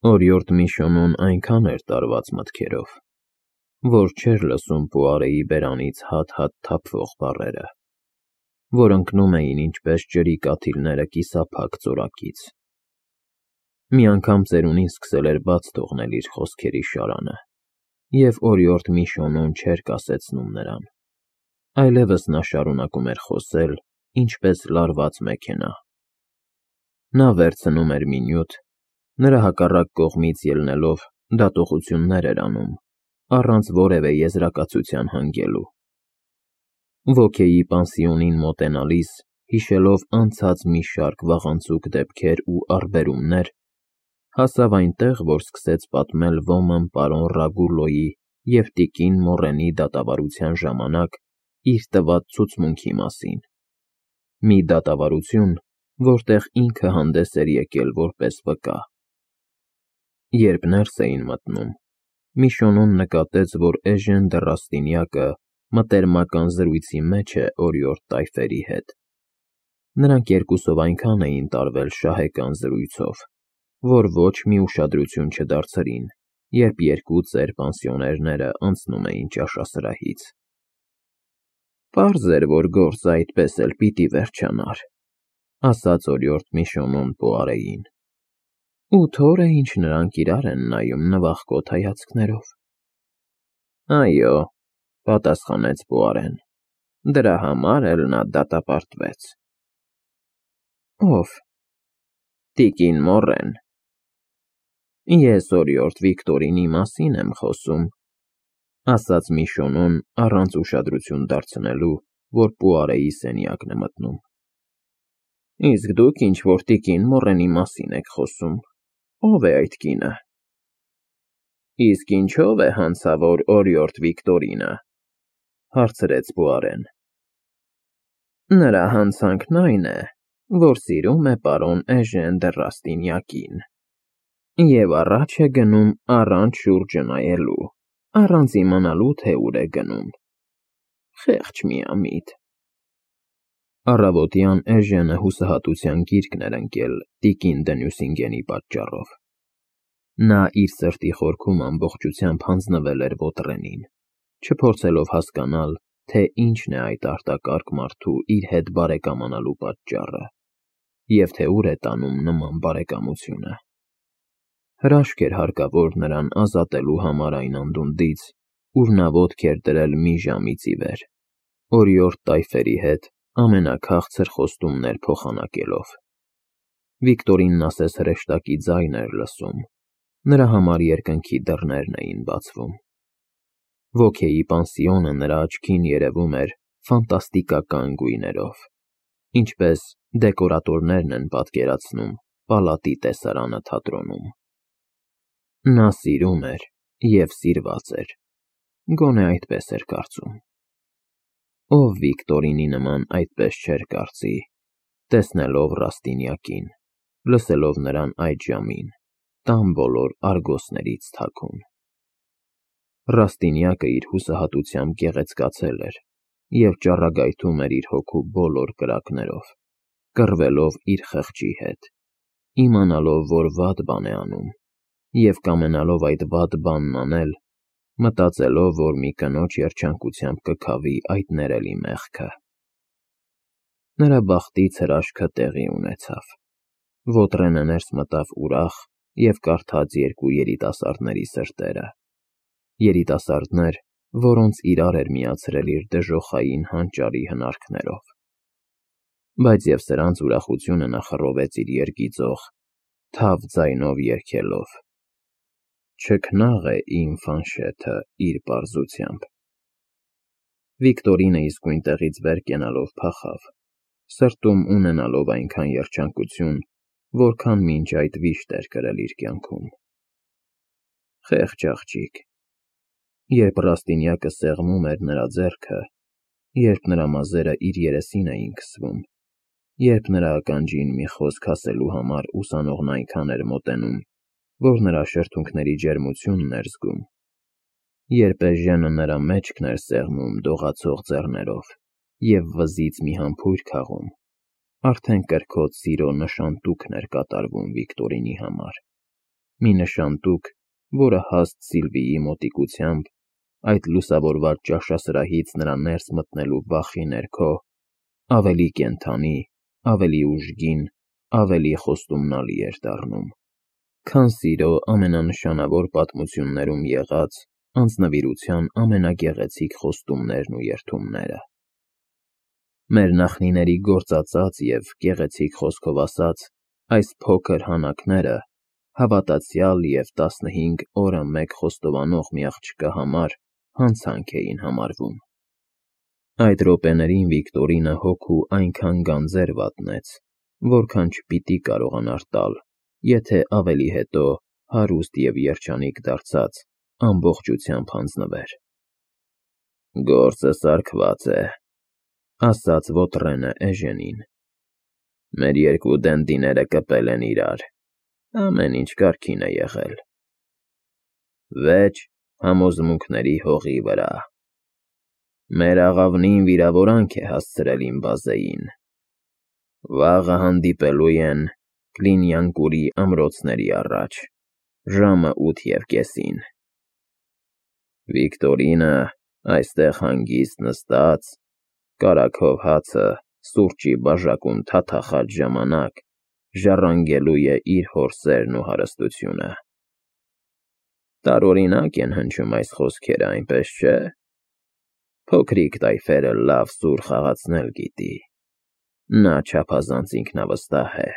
Օրիորդ Միշոնոն այնքան էր տարված մտքերով, որ չէր լսում Պուարեի բերանից հատ-հատ թափվող բառերը, որ ընկնում էին ինչպես ջրի կաթիլները կիսափակ ծորակից։ Մի անգամ ծերունին սկսել էր բաց թողնել իր խոսքերի շարանը, և օրիորդ Միշոնոն չէր կասեցնում նրան, այլևս նա շարունակում էր խոսել, ինչպես լարված մեքենա։ Նա վերցնում էր մի նյութ, նրա հակառակ կողմից ելնելով դատողություններ էր անում, առանց որևէ եզրակացության հանգելու։ Ոքեի պանսիոնին մոտենալիս, հիշելով անցած մի շարք վաղանցուկ դեպքեր ու առբերումներ, հասավ այնտեղ, որ սկսեց պատմել ոմն պարոն Ռագուլոյի և տիկին Մորրենի դատավարության ժամանակ իր տված ցուցմունքի մասին, մի դատավարություն, որտեղ ինքը հանդես էր եկել որպես վկա։ Երբ ներս էին մտնում, Միշոնոն նկատեց, որ Էժեն դը Ռաստինյակը մտերմական զրույցի մեջ է օրիորդ տայֆերի հետ։ Նրանք երկուսով այնքան էին տարվել շահեկան զրույցով, որ ոչ մի ուշադրություն չդարձրին, երբ երկու ծեր պանսիոներները անցնում էին ճաշասրահից։ Պարզ էր, որ գործը այդպես էլ պիտի վերջանար, ասաց օրիորդ Միշոնոն Պուարեին։ Ութ օր է, ինչ նրանք իրար են նայում նվախկոտ հայացքներով։ Այո, պատասխանեց Պուարեն, դրա համար էլ նա դատապարտվեց։ Ո՞վ։ Տիկին Մորրեն։ Ես օրիորդ Վիկտորինի մասին եմ խոսում, ասաց Միշոնոն առանց ուշադրություն դարձնելու, որ Պուարեի սենյակն է մտնում։ Իսկ դուք ինչ-որ տիկին Մորրենի մասին եք խոսում, ո՞վ է այդ կինը։ Իսկ ինչո՞վ է հանցավոր օրիորդ Վիկտորինը, հարցրեց Պուարեն։ Նրա հանցանքն այն է, որ սիրում է պարոն Էժեն դը Ռաստինյակին և առաջ է գնում առանց շուրջը նայելու, առանց իմանալու, թե ուր է գնում։ Խեղճ միամիտ։ Առավոտյան Էժենը հուսահատության գիրկն էր ընկել տիկին դը Նյուսինգենի պատճառով։ Նա իր սրտի խորքում ամբողջությամբ հանձնվել էր Ոտրենին, չփորձելով հասկանալ, թե ինչն է այդ արտակարգ մարդու իր հետ բարեկամանալու պատճառը, և թե ուր է տանում նման բարեկամությունը։ Հրաշք էր հարկավոր նրան ազատելու համար այն անդունդից, ուր նա ոտք էր դրել մի ժամից ի վեր, օրիորդ տայֆերի հետ ամենաքաղցր խոստումներ փոխանակելով։ Վիկտորինն ասես հրեշտակի ձայն էր լսում, նրա համար երկնքի դռներն էին բացվում։ Ոքեի պանսիոնը նրա աչքին երևում էր ֆանտաստիկական գույներով, ինչպես դեկորատորներն են պատկերացնում պալատի տեսարանը թատրոնում։ Նա սիրում էր և սիրված էր, գոնե այդպես էր կարծում։ Ով Վիկտորինի նման այդպես չէր կարծի, տեսնելով Ռաստինյակին, լսելով նրան այդ ժամին, տան բոլոր արգոսներից թաքուն։ Ռաստինյակը իր հուսահատությամբ գեղեցկացել էր և ճառագայթում էր իր հոգու բոլոր կրակներով, կռվելով իր խղճի հետ, իմանալով, որ վատ բան է անում, և կամենալով այդ վատ բանն անել, մտածելով, որ մի կնոջ երջանկությամբ կքավի այդ ներելի մեղքը։ Նրա բախտից հրաշքը տեղի ունեցավ։ Ոտրենը ներս մտավ ուրախ և կարդաց երկու երիտասարդների սրտերը, երիտասարդներ, որոնց իրար էր միացրել իր դժոխային հանճարի հնարքներով։ Բայց և սրանց ուրախությունը նա խռովեց իր երգիծող, թավ ձայնով երգելով. Չքնաղ է իմ Ֆանշեթը իր պարզությամբ։ Վիկտորինը իսկույն տեղից վեր կենալով փախավ, սրտում ունենալով այնքան երջանկություն, որքան մինչ այդ վիշտ էր կրել իր կյանքում։ Խեղճ աղջիկ։ Երբ Ռաստինյակը սեղմում էր նրա ձեռքը, երբ նրա մազերը իր երեսին էին քսվում, երբ նրա ականջին մի խոսք ասելու համար ուսանողն այնքան էր մոտենում, որ նրա շրթունքների ջերմությունն էր զգում, երբ Էժենը նրա մեջքն էր սեղմում դողացող ձեռներով և վզից մի համբույր քաղում, արդեն կրքոտ սիրո նշանտուքն էր կատարվում Վիկտորինի համար։ մի նշան տուկ, որը հաստ Սիլվիի մոտիկությամբ, այդ լուսավորված ճաշասրահից նրա ներս մտնելու վախի ներքո, ավելի կենդանի, ավելի ուժգին, ավելի խոստումնալի էր դառնում, քան սիրո ամենանշանավոր պատմություններում եղած անձնվիրության ամենագեղեցիկ խոստումներն ու երդումները։ Մեր նախնիների գործածած և գեղեցիկ խոսքով ասած, այս փոքր հանակները հավատացյալ և 15 օրը մեկ խոստովանող մի աղջկա համար հանցանք էին համարվում։ Այդ րոպեներին Վիկտորինը հոգու այնքան գանձեր վատնեց, որքան չպիտի կարողանար տալ, եթե ավելի հետո հարուստ և երջանիկ դարձած ամբողջությամբ հանձնվեր։ «Գործը սարքված է», ասաց Ոտրենը Էժենին։ «Մեր երկու դնդիները կպել են իրար, ամեն ինչ կարգին է եղել։ Վեճ համոզմունքների հողի վրա։ Մեր աղավնին վիրավորանք է հասցրել իմ բազեին։ Վաղը հանդիպելու են Կլինյանկուրի ամրոցների առաջ, ժամը 8:30։ Վիկտորինը այստեղ հանգիստ նստած, կարագով հացը սուրճի բաժակում թաթախած ժամանակ ժառանգելու է իր հոր սերն ու հարստությունը։ Տարօրինակ են հնչում այս խոսքերը, այնպես չէ՞։ Փոքրիկ տայֆերը լավ սուր խաղացնել գիտի։ Նա չափազանց ինքնավստահ է,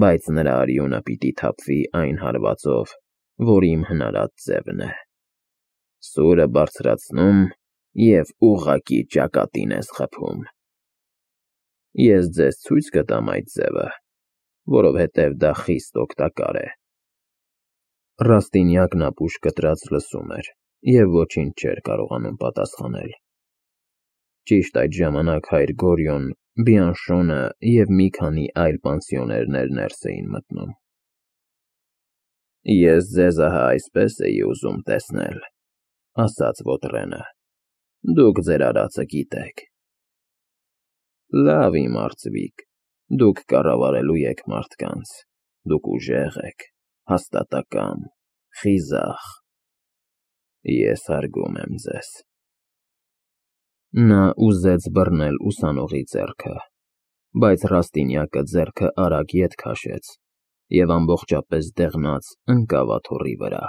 բայց նրա արյունը պիտի թափվի այն հարվածով, որ իմ հնարած ձևն է։ Սուրը բարձրացնում և ուղղակի ճակատին ես խփում։ Ես ձեզ ցույց կտամ այդ ձևը, որովհետև դա խիստ օգտակար է»։ Ռաստինյակն ապուշ կտրած լսում էր և ոչինչ չէր կարողանում պատասխանել։ Ճիշտ այդ ժամանակ հայր Գորյոն, Բիանշոնը և մի քանի այլ պանսիոներներ ներս էին մտնում։ «Ես ձեզ ահա այսպես էի ուզում տեսնել», ասաց Ոտրենը։ «Դուք ձեր արածը գիտեք»։ «Լավ, իմ արծվիկ, դուք կառավարելու եք մարդկանց, դուք ուժեղ եք, հաստատակամ, խիզախ։ Ես հարգում եմ ձեզ»։ Նա ուզեց բռնել ուսանողի ձեռքը, բայց Ռաստինյակը ձեռքը արագ ետ քաշեց և ամբողջապես դեղնած ընկավ աթոռի վրա։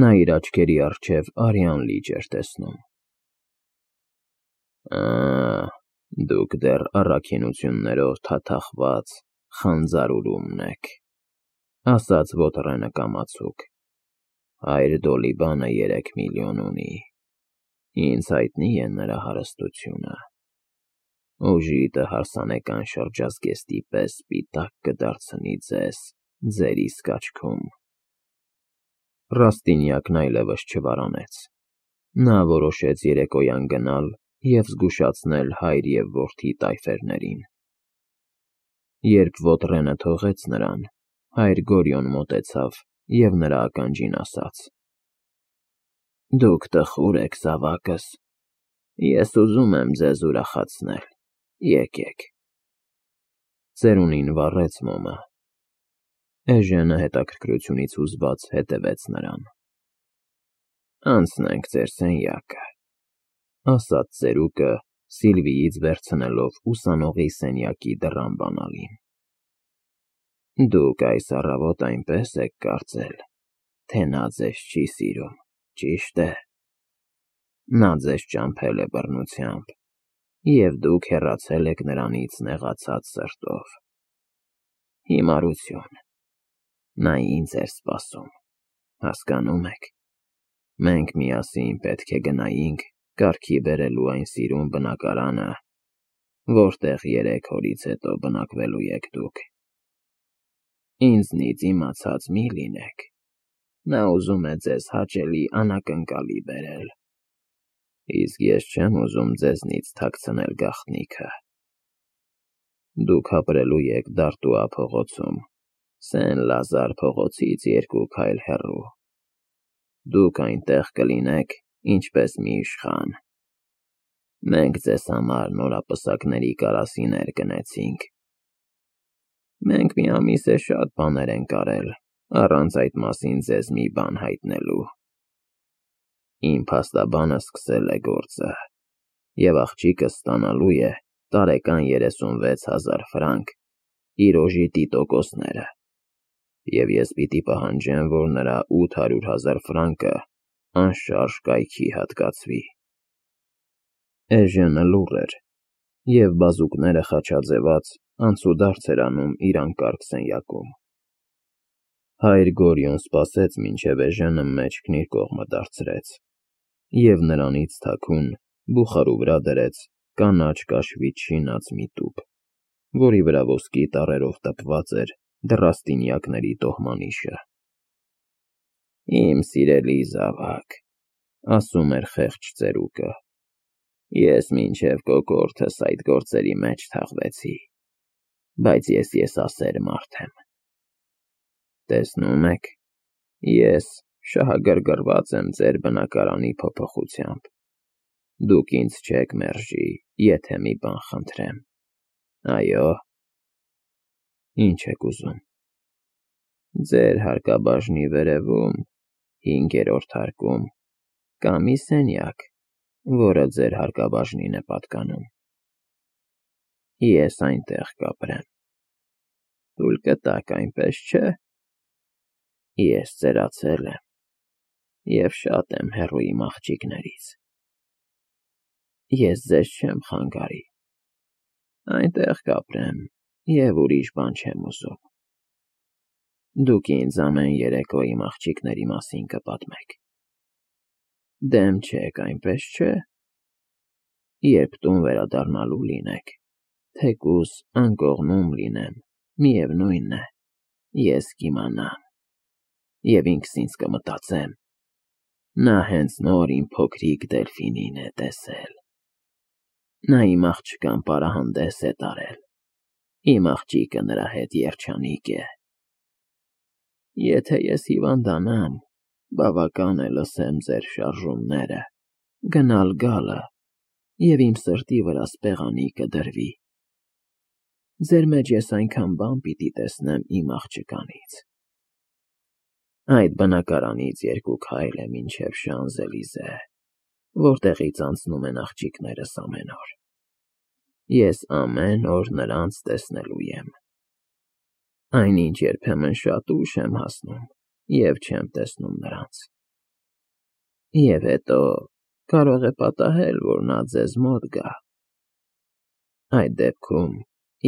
Նա իր աչքերի առջև արյան լիճ էր տեսնում։ «Ա, դուք դեռ առաքինություններով թաթախված խանձարուրումն եք», ասաց Ոտրենը կամացուկ։ «Հայր Դոլիբանը 3 միլիոն ունի։ Ինձ հայտնի է նրա հարստությունը։ Ուժիտը հարսանեկան շրջազգեստի պես սպիտակ կդարձնի ձեզ ձեր իսկ աչքում»։ Ռաստինյակն այլևս չվարանեց։ Նա որոշեց երեկոյան գնալ և զգուշացնել հայր և որդի տայֆերներին։ Երբ Ոտրենը թողեց նրան, հայր Գորյոն մոտեցավ և նրա ականջին ասաց. «Դուք տխուր եք, զավակս, ես ուզում եմ ձեզ ուրախացնել, եկեք»։ Ծերունին վառեց մոմը։ Էժենը հետաքրքրությունից հուզված հետևեց նրան։ «Անցնենք ձեր սենյակը», ասաց ծերուկը, Սիլվիից վերցնելով ուսանողի սենյակի դռան բանալին։ «Դուք այս առավոտ այնպես եք կարծել, թե նա ձեզ չի սիրում, ճիշտ է։ Նա ձեզ ճամփել է բռնությամբ, և դուք հեռացել եք նրանից նեղացած սրտով։ Հիմարություն։ Նա ինձ էր սպասում, հասկանո՞ւմ եք։ Մենք միասին պետք է գնայինք կարգի բերելու այն սիրուն բնակարանը, որտեղ 3 օրից հետո բնակվելու եք դուք։ Ինձնից իմացած մի լինեք, նա ուզում է ձեզ հաճելի անակնկալի բերել, իսկ ես չեմ ուզում ձեզնից թաքցնել գաղտնիքը։ Դուք ապրելու եք Դարտուա փողոցում, Սեն֊Լազար փողոցից 2 քայլ հեռու։ Դուք այնտեղ կլինեք ինչպես մի իշխան։ Մենք ձեզ համար նորապսակների կարասիներ գնեցինք։ Մենք մի ամիս է շատ բաներ ենք արել, առանց այդ մասին ձեզ մի բան հայտնելու։ Իմ փաստաբանը սկսել է գործը, և աղջիկը ստանալու է տարեկան 36,000 ֆրանկ իր օժի տիտոկոսները, և ես պիտի պահանջեմ, որ նրա 800,000 ֆրանկը անշարժ կայքի հատկացվի։ Էժենը լուռ էր, և բազուկները խաչաձևած անցուդարձ էր անում իր անկարգ սենյակում։ Հայր Գորյուն սպասեց, մինչև էժենը մեջքն իր կողմը դարձրեց, և նրանից թաքուն բուխարու վրա դրեց կանաչ կաշվից շինած մի տուփ, որի վրա ոսկի տառերով տպված էր դռաստինյակների տոհմանիշը։ «Իմ սիրելի զավակ,» ասում էր խեղճ ծերուկը, «ես մինչև կոկորդս այդ գործերի մեջ թաղվեցի, բայց ես եսասեր մարդ եմ։ Տեսնում եք, ես շահագրգռված եմ ձեր բնակարանի փոփոխությամբ։ Դուք ինձ չեք մերժի, եթե մի բան խնդրեմ, այո՞։ Ինչ եք ուզում։ Ձեր հարկաբաժնի վերևում, 5-րդ հարկում, կա մի սենյակ, որը ձեր հարկաբաժնին է պատկանում։ Ես այնտեղ կապրեմ։ Թույլ կտաք, այնպես չէ՞։ Ես ծերացել եմ և շատ եմ հեռու իմ աղջիկներից։ Ես ձեզ չեմ խանգարի։ Այնտեղ կապրեմ և ուրիշ բան չեմ ուզում։ Դուք ինձ ամեն երեկո իմ աղջիկների մասին կպատմեք։ Դեմ չեք, այնպես չէ՞։ Երբ տուն վերադառնալու լինեք, թեկուզ անկողնում լինեմ, միևնույն է, ես կիմանամ, և ինքս ինձ կմտածեմ. նա հենց նոր իմ փոքրիկ Դելֆինին է տեսել։ Նա իմ աղջկան պարահանդես է տարել, իմ աղջիկը նրա հետ երջանիկ է։ Եթե ես հիվանդանամ, բավական է լսեմ ձեր շարժումները, գնալ֊գալը, և իմ սրտի վրա սպեղանի կդրվի։ Ձեր մեջ ես այնքան բան պիտի տեսնեմ իմ աղջկանից։ Այդ բնակարանից 2 քայլ է մինչև Շանզելիզե, որտեղից անցնում են աղջիկներս ամեն օր։ Ես ամեն օր նրանց տեսնելու եմ։ Այնինչ երբեմն շատ ուշ եմ հասնում և չեմ տեսնում նրանց։ Եվ հետո կարող է պատահել, որ նա ձեզ մոտ գա։ Այդ դեպքում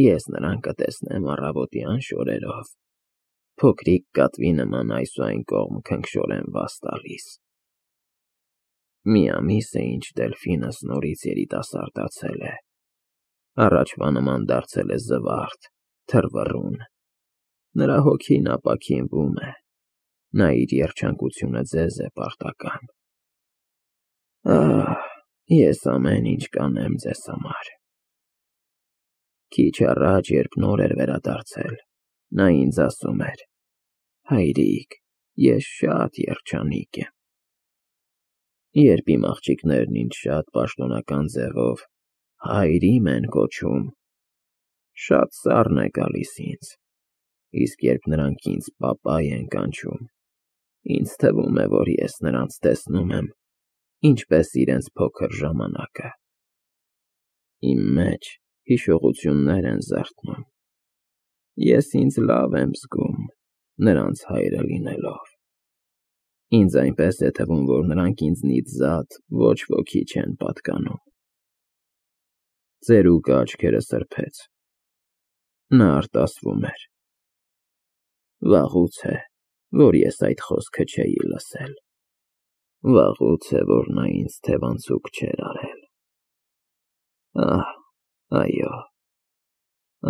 ես նրան կտեսնեմ առավոտյան շորերով, փոքրիկ կատվի նման այս ու այն կողմ քնքշորեն վազ տալիս։ Մի ամիս է, ինչ Դելֆինս նորից երիտասարդացել է, առաջվա նման դարձել է զվարթ, թռվռուն, նրա հոգին ապաքինվում է, նա իր երջանկությունը ձեզ է պարտական։ Ահ, ես ամեն ինչ կանեմ ձեզ համար։ Քիչ առաջ, երբ նոր էր վերադարձել, նա ինձ ասում էր. հայրիկ, ես շատ երջանիկ եմ։ Երբ իմ աղջիկներն ինձ շատ պաշտոնական ձևով հայրիմ են կոչում, շատ սառն է գալիս ինձ, իսկ երբ նրանք ինձ պապայ են կանչում, ինձ թվում է, որ ես նրանց տեսնում եմ ինչպես իրենց փոքր ժամանակը։ Իմ մեջ հիշողություններ են զարթնում։ Ես ինձ լավ եմ զգում նրանց հայրը լինելով։ Ինձ այնպես է թվում, որ նրանք ինձնից զատ ոչ ոքի չեն պատկանում։ Ծերուկը աչքերը սրբեց։ Նա արտասվում էր։ Վաղուց է, որ ես այդ խոսքը չէի լսել։ Վաղուց է, որ նա ինձ թևանցուկ չէր արել։ Ահ, այո,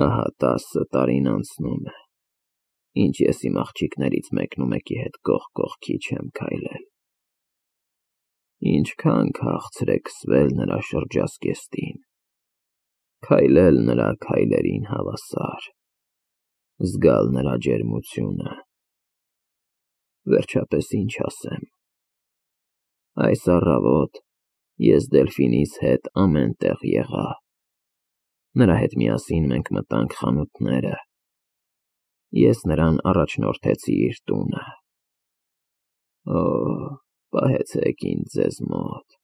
ահա 10 տարին անցնում է, ինչ ես իմ աղջիկներից մեկնումեկի հետ կողք կողքի չեմ քայլել։ Ինչքան քաղցր է քսվել նրա շրջազգեստին, քայլել նրա քայլերին հավասար, զգալ նրա ջերմությունը։ Վերջապես ինչ ասեմ։ Այս առավոտ ես Դելֆինիս հետ ամեն տեղ եղա։ Նրա հետ միասին մենք մտանք խանութները, Ես նրան առաջնորդեցի իր տունը։ Օ՜, պահեցեք ինձ ձեզ մոտ։